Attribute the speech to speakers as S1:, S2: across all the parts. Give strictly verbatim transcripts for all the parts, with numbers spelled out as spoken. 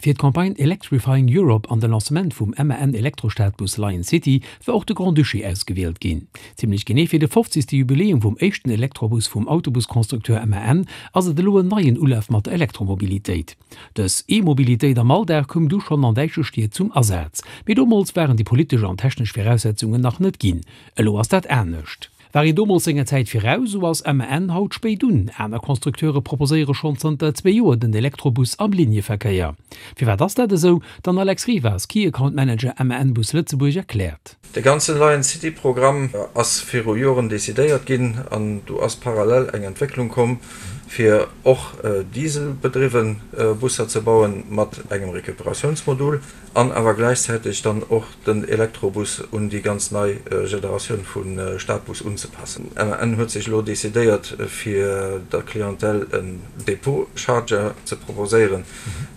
S1: Fir d'Campagne Electrifying Europe an de Lancement vum M A N Elektrostadbus Lionn City war och de Grand-Duché ausgewielt ginn. Zimmlech genee fir de fofzegste Jubiläum vum éischten Elektrobus vum Autobuskonstrukteur M A N ass et elo en neien Ulaf mat der Elektromobilitéit. Dës E-Mobilitéit am Alldag koum du schonn an däitsche Stied zum Asaz. Mee domols waren déi politesch an technesch Viraussetzungen nach net ginn. Elo ass dat anescht. War een domols senger Zäit viraus, sou ass M A N haut spéit drun. Aner Konstrukteure proposéiere schonn zanter zwee Joer den Elektrobus am Linneverkéier. Firwat ass dat esou? Den Alex Rivas, Key Account Manager M A N Bus Lëtzebuerg, erkläert.
S2: De ganze Lionn City Programm ass viru Joren decidéiert ginn an do ass parallel eng Entwécklung komm fir och dieselbedriwwe Busser ze bauen mat engem Recuperatiounsmodul an awer gläichzäiteg dann och den Elektrobus un déi ganz nei Generatioun vu Stadbus unzepassen. M A N huet sech elo decidéiert fir der Clientèle en Depot Charger ze proposéieren,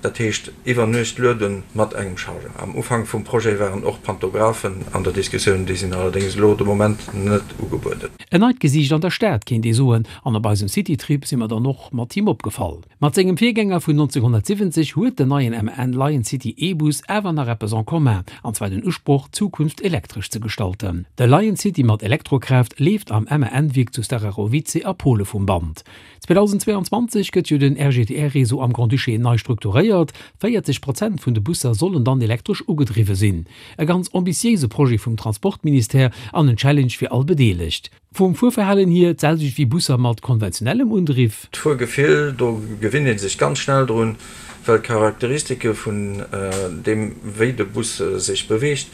S2: dat heescht iwwer Nuecht luede mat engem Charger. Am Ufank vum Projet waren och Pantographen an der Diskussioun, déi sinn allerdéngs elo de Moment net ugebueden.
S1: En neit Gesiicht an der Stad, kéint ee soen, an op eisem Citytrip si mer dann och mat him opgefall. Mat sengem Virgänger vun nonzénghonnertsiwwenzeg huet den neien M A N Lionn City E-Bus awer nach eppes en commun, an zwar den Usproch, d'Zukunft elektresch ze gestalten. De Lionn City mat Elektrokraaft leeft am M A N-Wierk zu Starachowice a Pole vum Band. zweedausendzweeanzwanzeg gëtt jo den R G T R-Réseau am Grand-Duché nei strukturéiert, véierzeg Prozent vun de Busser sollen dann elektresch ugedriwwe sinn. E ganz ambitiéise Projet vum Transportministère an en Challenge fir all Bedeelegt. Vum Fuerverhalen hier d'selwecht wéi Busser mat konventionellem Undriff.
S2: D'Fuergefill, do gewinnt ee sech ganz schnell drun, well d'Charakteristike vun deem wéi de Bus sech beweegt,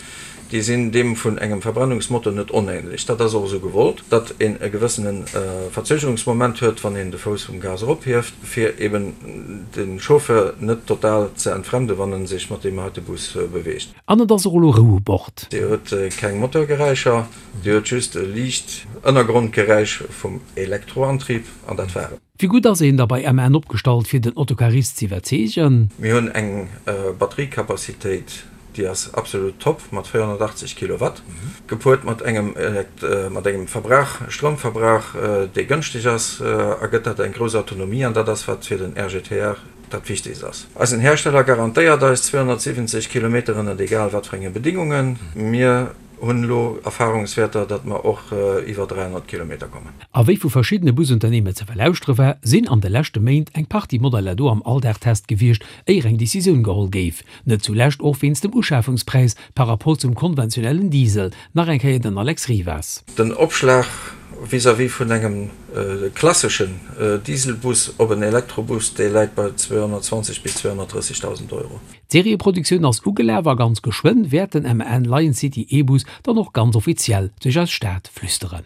S2: déi sinn deem vun engem Verbrennungsmotor net onähnlech. Dat ass och esou gewollt, datt een e gewëssene Verzögerungsmoment huet, wann een de Fouss vum Gas erophieft, fir eben de Chauffeur net total ze entfremden, wann e sech mat deem heite Bus beweegt.
S1: An et ass och elo Rou u Bord.
S2: Dir huet keng Motorgeräischer, Dir huet just e liicht Ënnergrondgeräisch vum Elektroantrieb an dat war et.
S1: Wéi gutt ass een da bei M A N opgestallt fir den Autocarist z'iwwerzeegen?
S2: Mir hunn eng Batteriecapacitéit, déi ass absolut top mat véierhonnertachtzeg Kilowatt, gepuert mat engem mat engem Verbrauch, Stroumverbrauch, dee gënschteg ass, ergëtt dat eng grouss Autonomie an dat ass wat fir den R G T R dat Wichtegst ass. Eisen Hersteller garantéiert eis zweehonnertsiwwenzeg Kilometer ënnert egal wat fir enge Bedingungen. Mir hunn elo Erfahrungswäerter, datt mer och iwwer dräihonnert Kilometer kommen.
S1: A wéi vu verschiddene Busunternehmer ze verlauschtere war, sinn an de leschte Méint eng Partie Modeller do am Alldagstest gewiescht, éier eng Decisioun geholl géif. Net zulescht och wéinst dem Uschafungspräis par rapport zum konventionellen Diesel. Nach eng Kéier den Alex Rivas.
S2: Den Opschlag vis-à-vis vun engem klasseschen Dieselbus op en Elektrobus, dee läit bei zweehonnertzwanzeg bis zweehonnertdrëssegdausend Euro.
S1: D'Serieproduktioun ass ugelaf a ganz geschwënn wäert den M A N Lionn City E-Bus dann och ganz offiziell duerch eis Stad flüsteren.